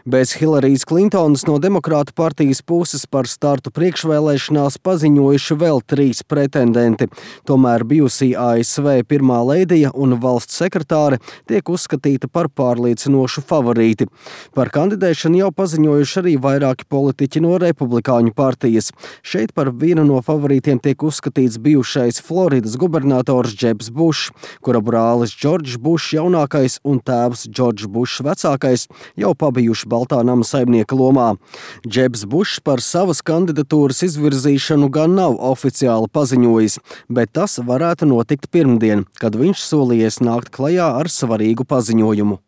Bez Hillarijas Klintonas no Demokrātu partijas puses par startu priekšvēlēšanās paziņojuši vēl 3 pretendenti. Tomēr bijusī ASV pirmā leidija un valsts sekretāre tiek uzskatīta par pārliecinošu favorīti. Par kandidēšanu jau paziņojuši arī vairāki politiķi no Republikāņu partijas. Šeit par vienu no favorītiem tiek uzskatīts bijušais Floridas gubernators Jebs Bušs, kura brālis Džordžs Bušs jaunākais un tēvs Džordžs Bušs vecākais jau pabijuši Baltā nama saimnieka lomā. Jebs Bušs par savas kandidatūras izvirzīšanu gan nav oficiāli paziņojis, bet tas varētu notikt pirmdien, kad viņš solījies nākt klajā ar svarīgu paziņojumu.